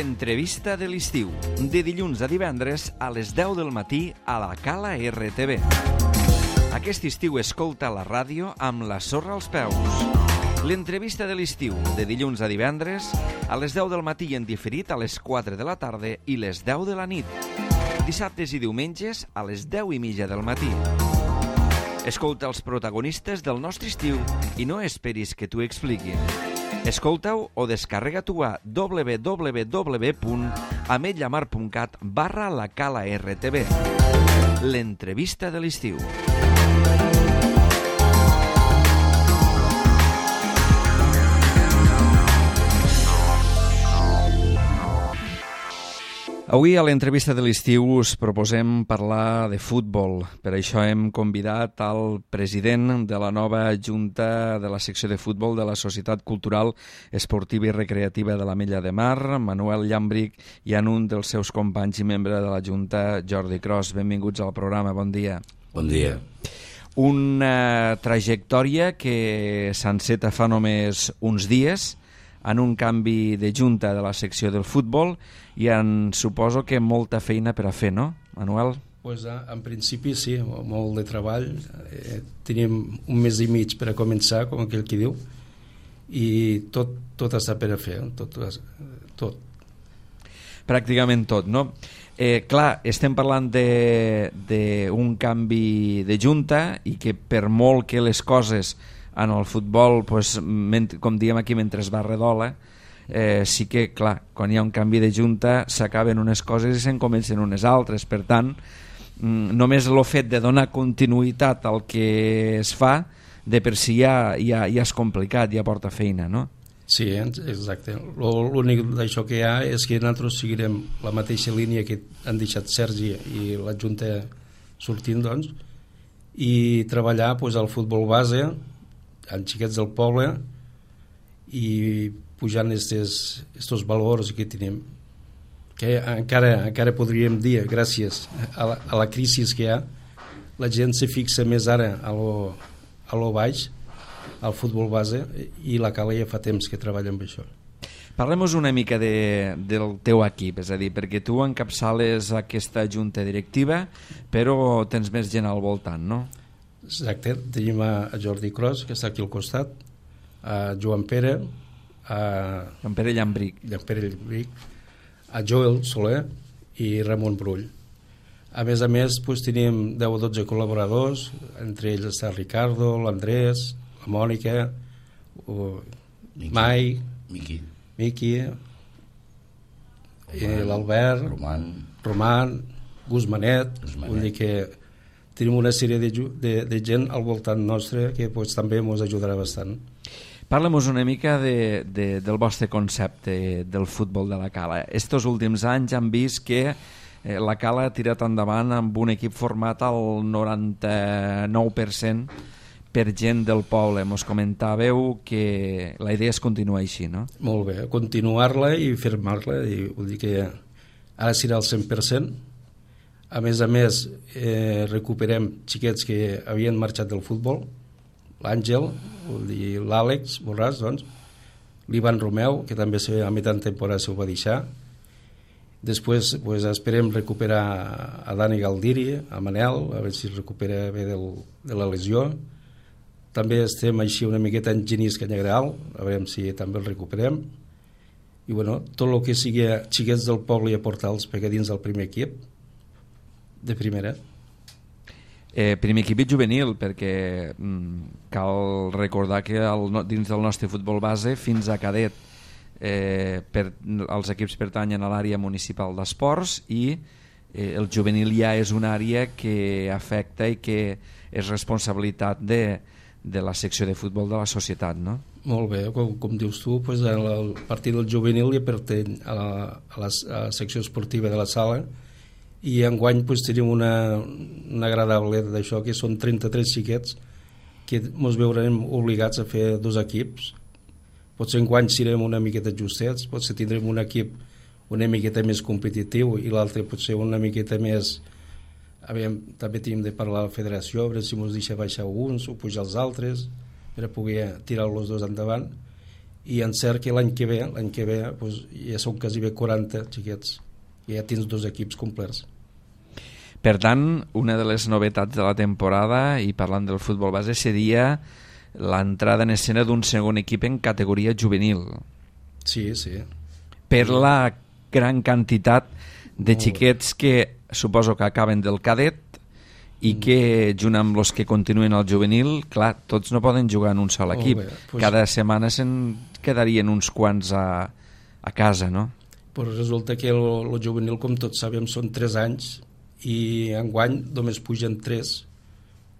L'entrevista de l'estiu, de dilluns a divendres a les 10 del matí a la Cala RTV. Aquest estiu escolta la ràdio amb la sorra als peus. L'entrevista de l'estiu, de dilluns a divendres a les 10 del matí i en diferit a les 4 de la tarda i les 10 de la nit. Dissabtes i diumenges a les 10:30 del matí. Escolta els protagonistes del nostre estiu i no esperis que t'ho expliquin. Escolta-ho o descarrega-t'ho a www.ametlllamar.cat/la Cala RTV. L'entrevista de l'estiu. Avui a l'entrevista de l'estiu us proposem parlar de futbol. Per això hem convidat al president de la nova Junta de la secció de futbol de la Societat Cultural Esportiva i Recreativa de l'Ametlla de Mar, Manuel Llàmbric, i en un dels seus companys i membre de la Junta, Jordi Cros. Benvinguts al programa, bon dia. Bon dia. Una trajectòria que s'enceta fa només uns dies en un canvi de junta de la secció del futbol i suposo que molta feina per a fer, no, Manuel? Pues, en principi sí, molt de treball. Tenim un mes i mig per a començar, com aquell qui diu, i tot està per a fer, tot. Pràcticament tot, no? Clar, estem parlant d'un canvi de junta i que per molt que les coses en el futbol, pues, com diem aquí, mentre es va redola, sí que, clar, quan hi ha un canvi de junta s'acaben unes coses i se'n comencen unes altres. Per tant, només el fet de donar continuïtat al que es fa de per si ja és complicat, ja porta feina, no? Sí, exacte. L'únic d'això que hi ha és que nosaltres seguirem la mateixa línia que han deixat Sergi i la Junta sortint, doncs, i treballar, pues, al futbol base amb xiquets del poble i pujant estos valors que tenim, que encara podríem dir, gràcies a la crisi que hi ha, la gent se fixa més ara a lo baix, al futbol base, i la Cala ja fa temps que treballa amb això. Parlem-nos una mica del teu equip, és a dir, perquè tu encapçales aquesta junta directiva, però tens més gent al voltant, no? Exacte, tenim a Jordi Cros, que està aquí al costat, a Joan Pere, Joan Pere Llàmbric, a Joel Soler i Ramon Brull. A més, doncs, tenim 10 o 12 col·laboradors, entre ells està Ricardo, l'Andrés, la Mònica, Mai, Miqui, l'Albert, Roman, Guzmanet. Vull dir que tenim una sèrie de gent al voltant nostre que, pues, també ens ajudarà bastant. Parla-nos una mica del vostre concepte del futbol de la Cala. Estos últims anys han vist que la Cala ha tirat endavant amb un equip format al 99% per gent del poble. Mos comentàveu que la idea és continuar així, no? Molt bé, continuar-la i firmar-la, i vull dir que ara serà el 100%. A més, recuperem xiquets que havien marxat del futbol, l'Àngel, l'Àlex Borràs, doncs, l'Ivan Romeu, que també a mitjan temporada s'ho va deixar. Després, pues, esperem recuperar a Dani Galdiri, a Manel, a veure si es recupera bé de la lesió. També estem així una miqueta en Genís Canyagreal, a veure si també el recuperem. I, bueno, tot el que sigui xiquets del poble i aportar-los dins del primer equip, de primera. Primer equip i juvenil, perquè cal recordar que dins del nostre futbol base fins a cadet els equips pertanyen a l'àrea municipal d'esports i el juvenil ja és una àrea que afecta i que és responsabilitat de la secció de futbol de la societat, no? Molt bé, com dius tu, pues, el partit del juvenil ja pertany a la secció esportiva de la sala, i enguany, pues, tenim una agradable d'això, que són 33 xiquets que ens veurem obligats a fer 2 equips. Potser enguany serem una miqueta justets, potser tindrem un equip una miqueta més competitiu i l'altre potser una miqueta més... També tenim de parlar a la federació, a veure si ens deixa baixar uns o pujar els altres per a poder tirar els dos endavant. i en cert que l'any que ve pues, ja són quasi bé 40 xiquets, i ja tens 2 equips complets. Per tant, una de les novetats de la temporada, i parlant del futbol base, seria l'entrada en escena d'un segon equip en categoria juvenil. Sí. Per la gran quantitat de xiquets que suposo que acaben del cadet i que, junt amb els que continuen al juvenil, clar, tots no poden jugar en un sol equip. Cada setmana se'n quedarien uns quants a casa, no? Però resulta que el juvenil, com tots sabem, són 3 anys i enguany només pugen 3.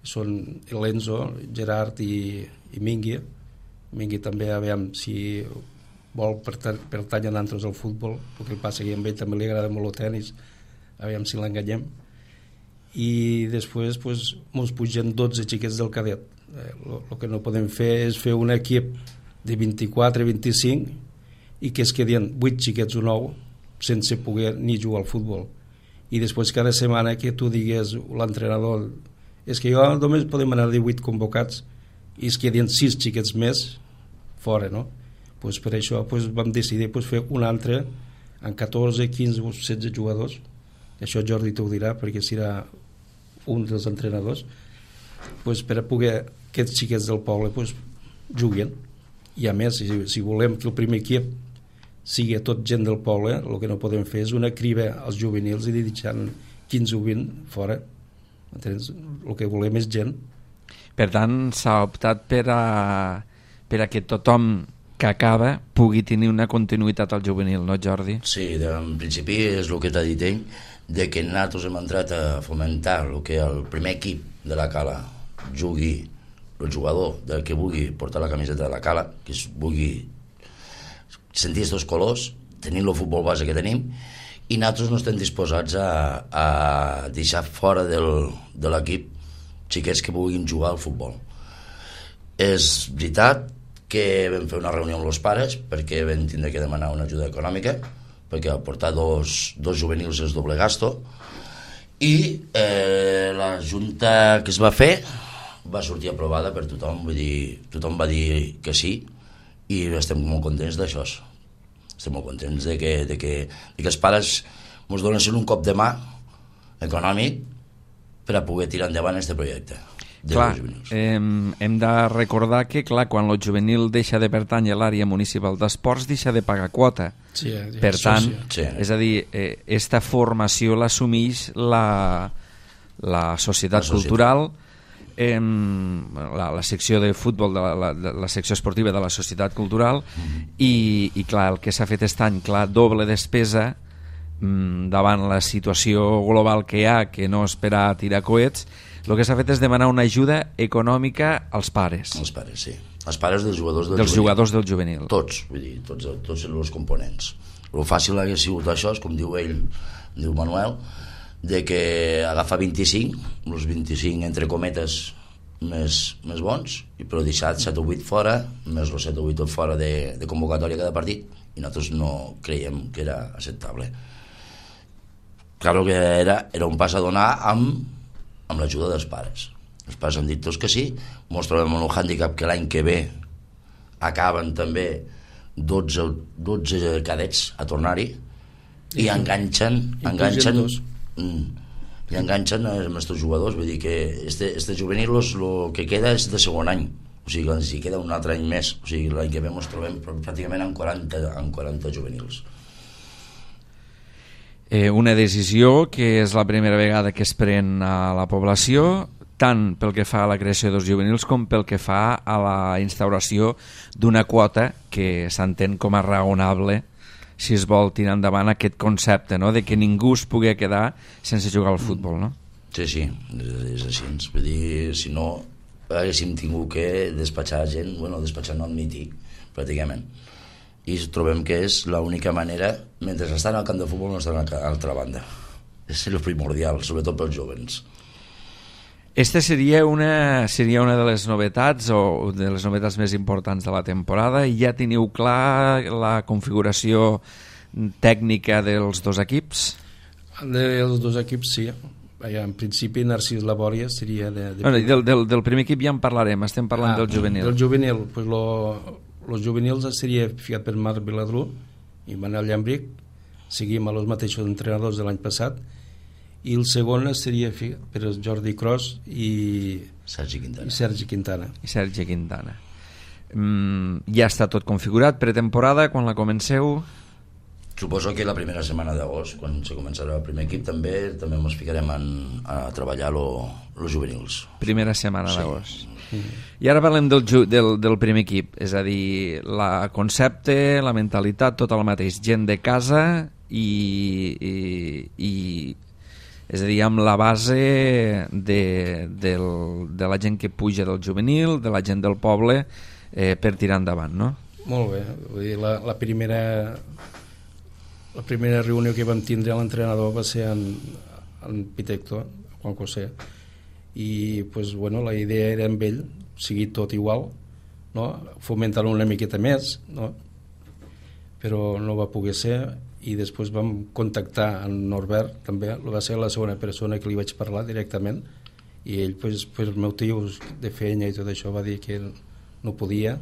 Són l'Enzo, Gerard i Mingui. Mingui també, aviam si vol pertany a nosaltres al futbol, el que passa que a ell també li agrada molt el tenis, aviam si l'enganyem. I després pues, ens pugen 12 xiquets del cadet. El que no podem fer és fer un equip de 24-25 i que es quedin 8 xiquets o 9 sense poder ni jugar al futbol. I després cada setmana que tu digues l'entrenador, és que jo només podem anar 18 convocats i es quedin 6 xiquets més fora, no? Pues per això pues, vam decidir pues, fer un altre amb 14, 15 o 16 jugadors. Això Jordi t'ho dirà perquè serà un dels entrenadors, pues, per a poder que aquests xiquets del poble pues, juguin. I a més, si volem que el primer equip sigui tot gent del poble, el que no podem fer és una criba als juvenils i deixant 15 o 20 fora. Entens? El que volem és gent. Per tant, s'ha optat per a que tothom que acaba pugui tenir una continuïtat al juvenil, no, Jordi? Sí, en principi és el que t'ha dit ell, de que nosaltres hem entrat a fomentar el que el primer equip de la Cala jugui, el jugador del que vulgui portar la camiseta de la Cala, que es vulgui sentir aquests colors, tenir el futbol base que tenim, i nosaltres no estem disposats a deixar fora de l'equip xiquets que vulguin jugar al futbol. És veritat que vam fer una reunió amb els pares perquè vam tindre que demanar una ajuda econòmica perquè portar dos juvenils és doble gasto, i la junta que es va fer va sortir aprovada per tothom, vull dir, tothom va dir que sí, i estem molt contents d'això. Estem molt contents de que els pares ens donessin un cop de mà econòmic per a poder tirar endavant aquest projecte. Clar, hem de recordar que clar, quan el juvenil deixa de pertànyer a l'àrea municipal d'esports deixa de pagar quota. Sí, per tant, sí. És a dir, esta formació l'assumeix la societat cultural, la secció de futbol de la secció esportiva de la societat cultural, i clar, el que s'ha fet aquest any, clar, doble despesa davant la situació global que hi ha, que no és per a tirar coets. El que s'ha fet és demanar una ajuda econòmica als pares. Els pares, sí. Els pares dels jugadors jugadors del juvenil. Tots, vull dir, tots els components. El fàcil hauria sigut això, és com diu ell, diu Manuel, de que agafa 25, els 25 entre cometes més bons, però deixar 7 o 8 fora, més els 7 o 8 fora de convocatòria cada partit, i nosaltres no creiem que era acceptable. Claro que era un pas a donar amb l'ajuda dels pares. Els pares han dit tots que sí, ens trobem en un hàndicap que l'any que ve acaben també 12 cadets a tornar-hi i enganxen i enganxen els nostres jugadors, vull dir que este juvenil el que queda és de segon any, o sigui, si queda un altre any més, o sigui, l'any que ve ens trobem pràcticament amb 40 juvenils. Una decisió que és la primera vegada que es pren a la població, tant pel que fa a la creació dels juvenils com pel que fa a la instauració d'una quota que s'entén com a raonable si es vol tirar endavant aquest concepte, no?, de que ningú es pugui quedar sense jugar al futbol, no? Sí, és així. Vull dir, si no haguéssim tingut que despatxar gent, despatxar no admitir, pràcticament. I trobem que és l'única manera, mentre estan al camp de futbol no estan a l'altra banda. És el primordial, sobretot pels jóvens. Esta seria una de les novetats o de les novetats més importants de la temporada, i ja teniu clar la configuració tècnica dels dos equips? Dels dos equips sí. En principi Narcís Labòria seria del primer equip ja en parlarem, estem parlant del juvenil. Del juvenil, pues els juvenils seria ficat per Marc Viladrú i Manel Llambric, seguim a los mateixos entrenadors de l'any passat, i el segon seria ficat per Jordi Cros i Sergi Quintana. Ja està tot configurat, pretemporada, quan la comenceu? Suposo que la primera setmana d'agost, quan se començarà el primer equip, també ens ficarem a treballar los juvenils. Primera setmana d'agost. I ara parlem del primer equip, és a dir, el concepte, la mentalitat, tot el mateix, gent de casa i és a dir, amb la base de la gent que puja del juvenil, de la gent del poble, per tirar endavant, no? Molt bé, vull dir, la primera reunió que vam tindre l'entrenador va ser en Pitecto, Juan José, i pues, bueno, la idea era amb ell sigui tot igual, no? Fomentar una miqueta més, no? Però no va poder ser, i després vam contactar en Norbert, també va ser la segona persona que li vaig parlar directament, i ell pues, per motius de feina i tot això va dir que no podia,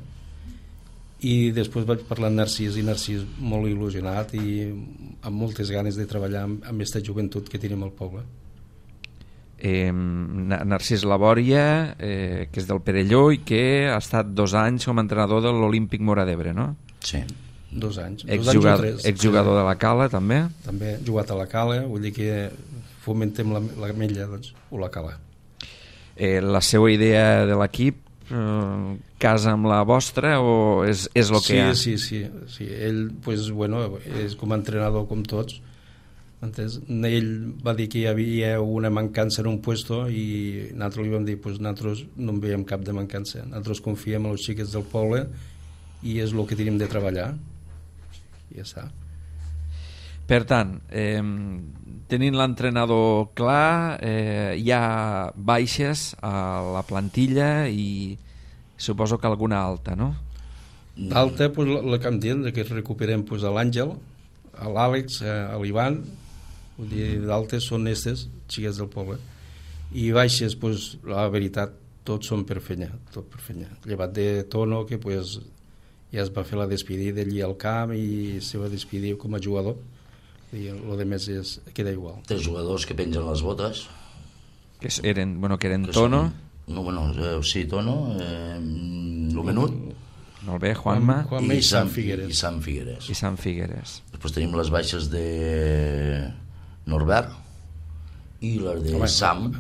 i després vaig parlar amb Narcís, i Narcís molt il·lusionat i amb moltes ganes de treballar amb aquesta joventut que tenim al poble. Narcís Labòria, que és del Perelló i que ha estat 2 anys com a entrenador de l'Olímpic Móra d'Ebre, no? Sí. 2 anys. Exjugador de la Cala, també? També he jugat a la Cala, vull dir que fomentem la mella, doncs, o la Cala. La seva idea de l'equip casa amb la vostra o és el que hi ha? Sí. Ell, pues, bueno, és com a entrenador com tots. Ell va dir que hi havia una mancança en un puesto i nosaltres li vam dir, pues, nosaltres no en veiem cap de mancança. Nosaltres confiem en els xiquets del poble i és el que tenim de treballar. I ja està. Per tant, tenint l'entrenador clar, hi ha baixes a la plantilla i suposo que alguna alta, no? Alta, pues, la que em diuen, que recuperem pues, a l'Àngel, a l'Àlex, a l'Ivan, vull dir, d'altes són aquestes xiques del poble, i baixes, pues, la veritat, tots són per feina, llevat de Tono, que pues, ja es va fer la despedida allí al camp i se va despedir com a jugador, i el de més queda igual. 3 jugadors que pengen les botes, que eren Tono, sí, Tono, el Menut, molt bé, Juanma i Sant Figueres. I Sant Figueres. Després tenim les baixes de Norbert i les de Sam,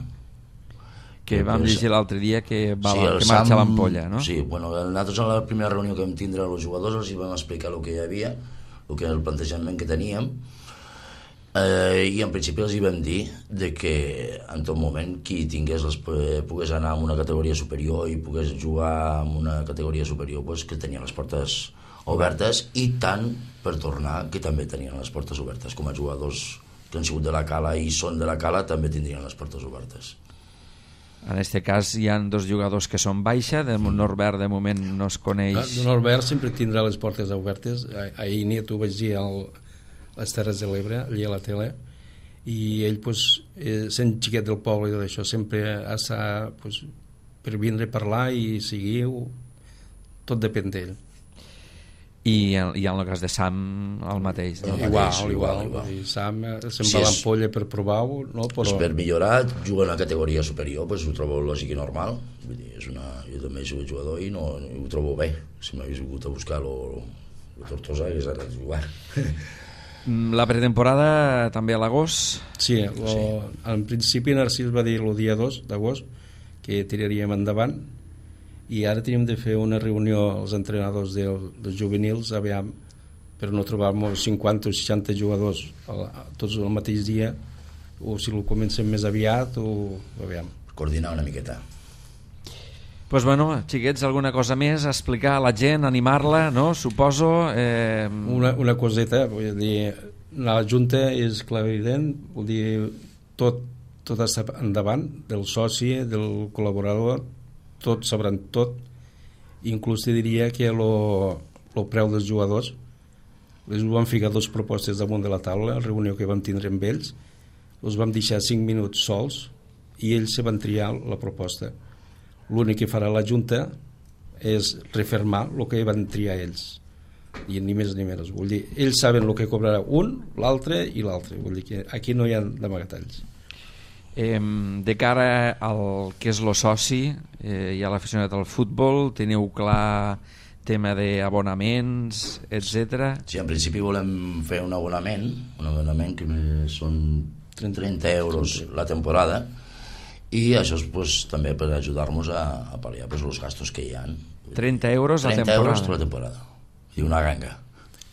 que vam llegir l'altre dia que marxa a l'Ampolla, no? Sí, bueno, nosaltres a la primera reunió que vam tindre els jugadors els vam explicar el que hi havia, el que era el plantejament que teníem, i en principi els hi vam dir de que en tot moment qui pogués anar a una categoria superior i pogués jugar en una categoria superior, pues, que tenia les portes obertes, i tant per tornar que també tenien les portes obertes, com a jugadors que han sigut de la Cala i són de la Cala també tindrien les portes obertes. En aquest cas hi ha 2 jugadors que són baixa, de Norbert de moment no es coneix. Norbert sempre tindrà les portes obertes. Ahir nit ho vaig dir a les Terres de l'Ebre, allà a la tele, i ell, pues, sent xiquet del poble i tot això, sempre ha estat, pues, per vindre a parlar i seguir, tot depèn d'ell. I en el cas de Sam el mateix, no? Igual. Sam se'n va a l'Ampolla per provar-ho, no? Però... per millorar, jugar a una categoria superior, pues, ho trobo lògic i normal. Vull dir, jo també soc jugador i no ho trobo bé. Si m'hagués vingut a buscar la Tortosa hagués anat a jugar. La pretemporada també a l'agost? Sí, en principi Narcís va dir el dia 2 d'agost que tiraríem endavant, i ara tenim de fer una reunió als entrenadors dels juvenils, aviam, per no trobar-nos 50 o 60 jugadors tots el mateix dia, o si ho comencem més aviat, o aviam. Coordinar una miqueta. Pues bueno, xiquets, alguna cosa més a explicar a la gent, animar-la, no? Suposo... Una coseta, vull dir, la Junta és clarivident, vull dir, tot està endavant, del soci, del col·laborador, tots sabran tot, inclús te diria que el preu dels jugadors els van ficar 2 propostes damunt de la taula, la reunió que vam tindre amb ells, els vam deixar 5 minuts sols i ells se van triar la proposta. L'únic que farà la Junta és refermar el que van triar ells, i ni més ni menys. Vull dir, ells saben el que cobrarà un, l'altre i l'altre. Vull dir que aquí no hi ha d'amagatalls. De cara al que és lo soci i a l'aficionat al futbol, teniu clar tema d'abonaments, etc. Sí, en principi volem fer un abonament que són 30 euros la temporada, i això és pues, també per ajudar-nos a pal·liar pues, els gastos que hi ha. 30 euros la temporada. 30 euros la temporada. I una ganga.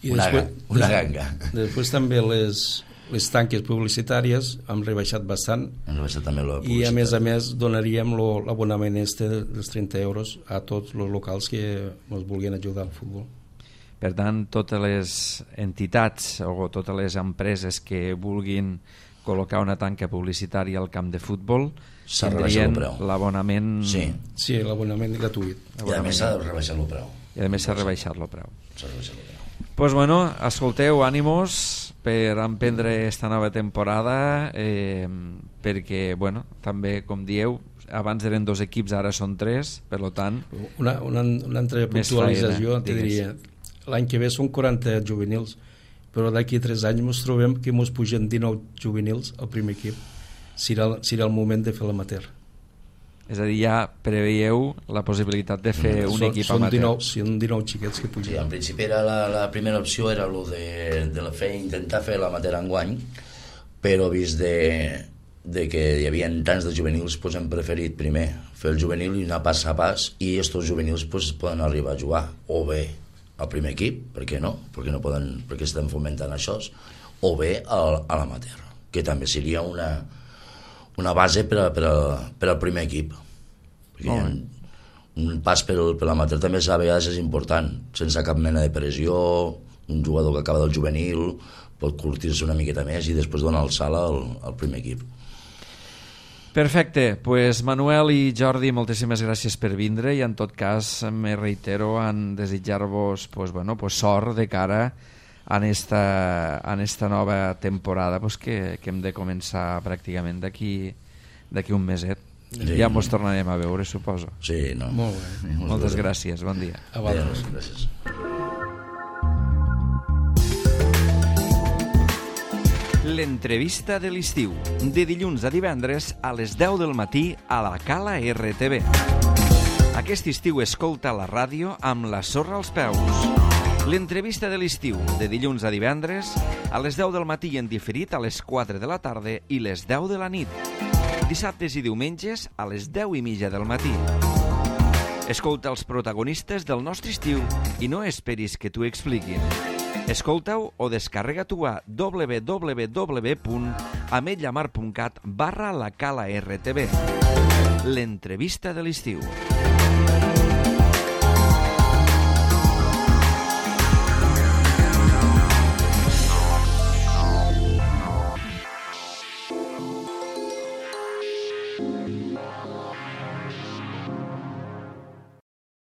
I una ganga. Després també les tanques publicitàries hem rebaixat bastant, també i a més donaríem l'abonament dels 30 euros a tots els locals que ens vulguin ajudar al futbol. Per tant, totes les entitats o totes les empreses que vulguin col·locar una tanca publicitària al camp de futbol tindrien l'abonament... Sí, l'abonament gratuït. I a més s'ha rebaixat el preu. I a més s'ha rebaixat el preu. Pues bueno, escolteu, ànimos per emprendre esta nova temporada, perquè, bueno, també, com dieu, abans eren 2 equips, ara són 3, per tant... Una altra puntualització, te diria, l'any que ve són 40 juvenils, però d'aquí 3 anys ens trobem que ens pugen 19 juvenils al primer equip. Serà el moment de fer l'amateur. És a dir, ja preveieu la possibilitat de fer un equip amateur. Són 19 xiquets que pugen. Sí, en principi era la primera opció era lo de intentar fer l'amateur enguany, però vist de que hi havia tants de juvenils, pues hem preferit primer fer el juvenil i anar pas a pas, i estos juvenils pues, poden arribar a jugar o bé al primer equip, per què no? Perquè estem fomentant això, o bé a l'amateur, que també seria una base per al primer equip. Perquè un pas per l'amateur també a vegades és important, sense cap mena de pressió. Un jugador que acaba del juvenil pot curtir-se una miqueta més i després donar el salt al primer equip. Perfecte, pues Manuel i Jordi, moltíssimes gràcies per vindre, i en tot cas me reitero en desitjar-vos sort de cara en esta nova temporada que hem de començar pràcticament d'aquí un meset. Ja ens tornarem a veure, suposo. Sí, no. Molt bé. Moltes gràcies, bon dia. A vosaltres. Gràcies. L'entrevista de l'estiu, de dilluns a divendres a les 10 del matí a la Cala RTV. Aquest estiu escolta la ràdio amb la sorra als peus. L'entrevista de l'estiu, de dilluns a divendres a les 10 del matí i en diferit a les 4 de la tarda i les 10 de la nit. Dissabtes i diumenges a les 10:30 del matí. Escolta els protagonistes del nostre estiu i no esperis que t'ho expliquin. Escolta-ho o descarrega-t'ho a www.ametllamar.cat/la Cala RTV. L'entrevista de l'estiu.